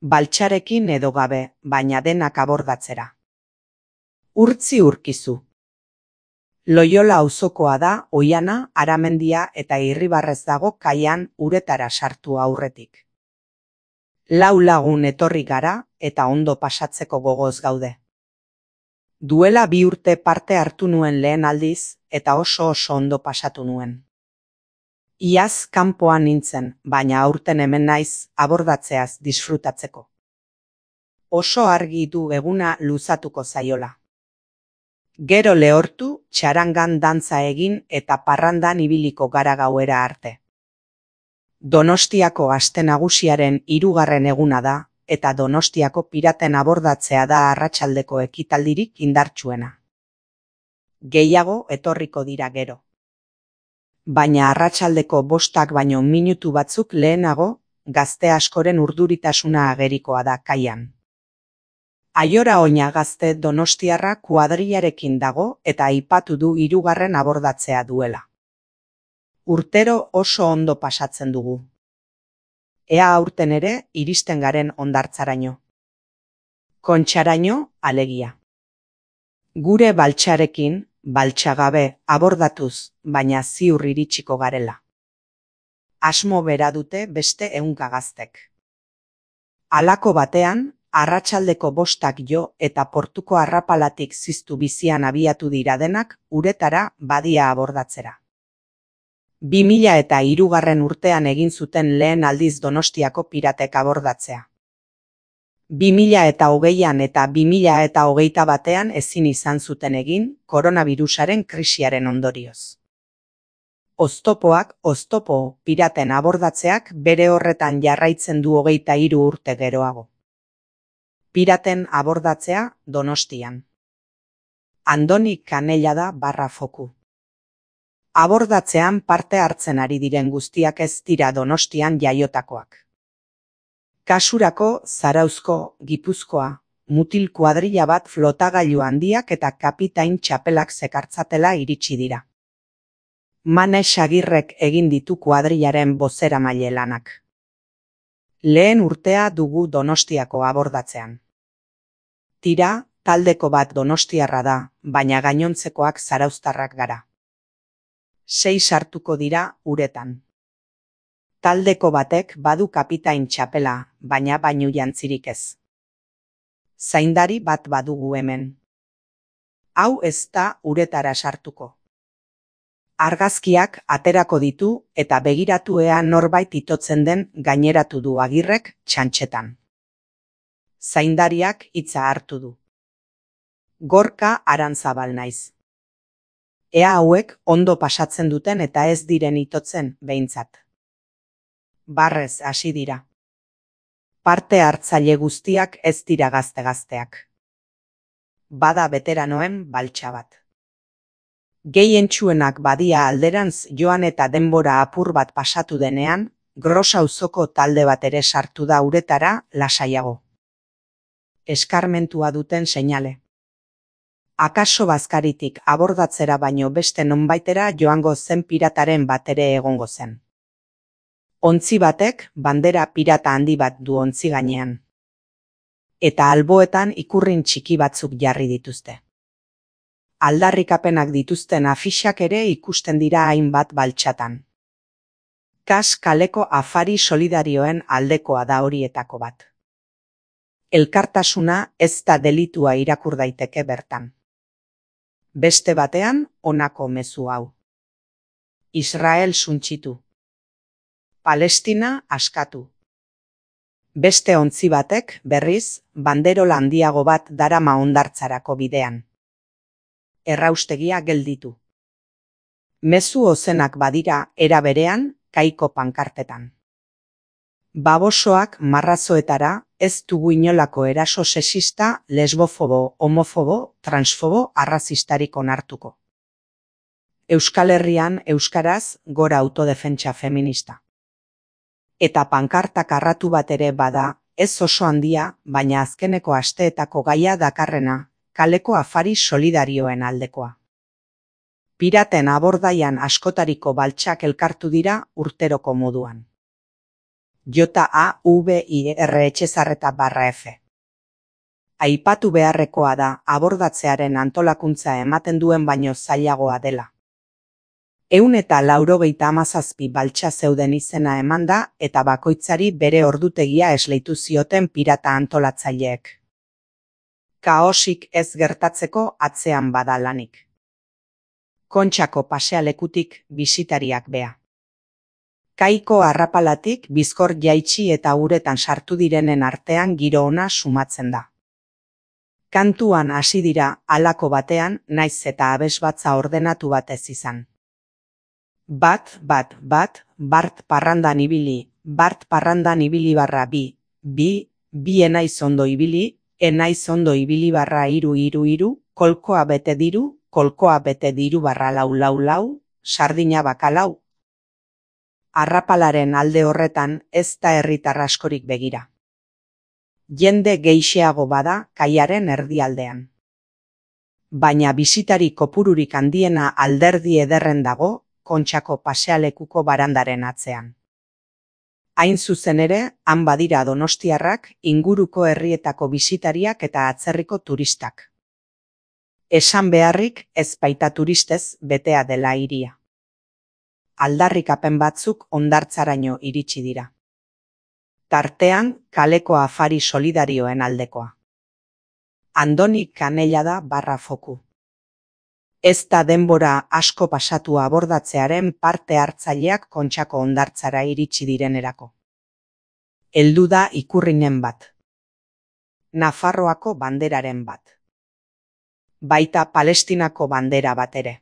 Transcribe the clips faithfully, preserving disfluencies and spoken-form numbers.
Baltsarekin edo gabe, baina denak abordatzera. Urtzi urkizu. Loiola auzokoa da, Oiana, Aramendia eta Irribarrez dago kaian uretara sartu aurretik. Lau lagun etorri gara eta ondo pasatzeko gogoz gaude. Duela bi urte parte hartu nuen lehen aldiz eta oso oso ondo pasatu nuen. Iaz kanpoan nintzen, baina aurten hemen naiz abordatzeaz disfrutatzeko. Oso argi du eguna luzatuko zaiola. Gero lehortu, txarangan dantza egin eta parrandan ibiliko gara gauera arte. Donostiako aste nagusiaren hirugarren eguna da, eta Donostiako piraten abordatzea da arratsaldeko ekitaldirik indartsuena. Gehiago etorriko dira gero. Baina arratsaldeko bostak baino minutu batzuk lehenago, gazte askoren urduritasuna agerikoa da kaian. Aiora Oina gazte donostiarra kuadrillarekin dago eta aipatu du hirugarren abordatzea duela. Urtero oso ondo pasatzen dugu. Ea aurten ere iristen garen hondartzaraino. Kontxaraino, alegia. Gure baltsarekin, baltsagabe, abordatuz, baina ziur iritsiko garela. Asmo bera dute beste ehunka gaztek. Halako batean, arratsaldeko bostak jo eta portuko arrapalatik ziztu bizian abiatu dira denak uretara badia abordatzera. Bi mila eta hirugarren urtean egin zuten lehen aldiz Donostiako piratek abordatzea. Bi mila eta hogeian eta bi mila eta hogeita batean ezin izan zuten egin koronabirusaren krisiaren ondorioz. Oztopoak, oztopo, piraten abordatzeak bere horretan jarraitzen du hogeita hiru urte geroago. Piraten abordatzea Donostian. Andoni Kanella da barra foku. Abordatzean parte hartzen ari diren guztiak ez dira Donostian jaiotakoak. Kasurako, Zarauzko, Gipuzkoa, mutil kuadrilla bat flotagailu handiak eta kapitain txapelak zekartzatela iritsi dira. Mane Sagirrek egin ditu kuadrillaren bozeramaile lanak. Lehen urtea dugu Donostiako abordatzean. Tira, taldeko bat donostiarra da, baina gainontzekoak zarauztarrak gara. Sei sartuko dira uretan. Taldeko batek badu kapitain txapela, baina bainu jantzirik ez. Zaindari bat badugu hemen. Hau ez da uretara sartuko. Argazkiak aterako ditu eta begiratu ea norbait itotzen den gaineratu du Agirrek txantxetan. Zaindariak hitza hartu du. Gorka Arantzabal naiz. Ea hauek ondo pasatzen duten eta ez diren itotzen behintzat. Barrez hasi dira. Parte hartzaile guztiak ez dira gazte-gazteak. Bada beteranoen baltsa bat. Gehientsuenak badia alderantz joan eta denbora apur bat pasatu denean, Gros auzoko talde bat ere sartu da uretara lasaiago. Eskarmentua duten seinale. Akaso bazkaritik abordatzera baino beste nonbaitera joango zen pirataren bat ere egongo zen. Ontzi batek bandera pirata handi bat du ontzi gainean. Eta alboetan ikurrin txiki batzuk jarri dituzte. Aldarrikapenak dituzten afixak ere ikusten dira hainbat baltsatan. Kas kaleko afari solidarioen aldekoa da horietako bat. Elkartasuna ez da delitua irakur daiteke bertan. Beste batean, honako mezu hau. Israel suntsitu. Palestina askatu. Beste ontzi batek, berriz, banderola handiago bat darama hondartzarako bidean. Erraustegia gelditu. Mezu ozenak badira era berean, kaiko pankartetan. Babosoak marrazoetara ez dugu inolako eraso sexista, lesbofobo, homofobo, transfobo, arrazistarik onartuko. Euskal Herrian euskaraz gora autodefentsa feminista. Eta pankartak arratu bat ere bada, ez oso handia, baina azkeneko asteetako gaia dakarrena, kaleko afari solidarioen aldekoa. Piraten abordaian askotariko baltsak elkartu dira urteroko moduan. J A V I R Etxezarreta barra F. Aipatu beharrekoa da abordatzearen antolakuntza ematen duen baino zailagoa dela. Ehun eta laurogeita hamazazpi baltsa zeuden izena eman da eta bakoitzari bere ordutegia esleitu zioten pirata antolatzaileek. Kaosik ez gertatzeko atzean bada lanik. Kontxako pasealekutik bisitariak bea. Kaiko arrapalatik bizkor jaitsi eta uretan sartu direnen artean giro ona sumatzen da. Kantuan hasi dira halako batean naiz eta abesbatza ordenatu bat ez izan. Bat, bat, bat, bart parrandan ibili, bart parrandan ibili barra bi, bi, bi enaiz ondo ibili, enaiz ondo ibili barra iru, iru, iru, kolkoa bete diru, kolkoa bete diru barra lau, lau, lau, sardina bakalau. Arrapalaren alde horretan ez da herritar askorik begira. Jende gehixeago bada kaiaren erdialdean. Baina bisitari kopururik handiena alderdi ederren dago Kontxako pasealekuko barandaren atzean. Hain zuzen ere, han badira donostiarrak, inguruko herrietako bisitariak eta atzerriko turistak. Esan beharrik ez baita turistez betea dela hiria. Aldarrikapen batzuk hondartzaraino iritsi dira. Tartean, kaleko afari solidarioen aldekoa. Andoni Kanellada barra foku. Ez da denbora asko pasatu abordatzearen parte hartzaileak Kontxako hondartzara iritsi direnerako. Heldu da ikurrinen bat. Nafarroako banderaren bat. Baita Palestinako bandera bat ere.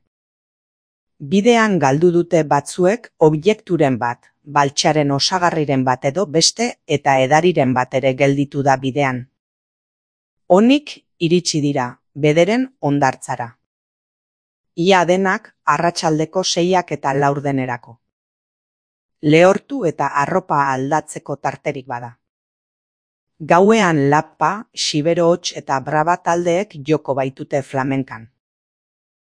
Bidean galdu dute batzuek objekturen bat, baltsaren osagarriren bat edo beste eta edariren bat ere gelditu da bidean. Onik iritsi dira, bederen hondartzara. Ia denak arratsaldeko seiak eta laurdenerako. Lehortu eta arropa aldatzeko tarterik bada. Gauean Lappa, Xibero Hots eta Braba taldeek joko baitute flamenkan.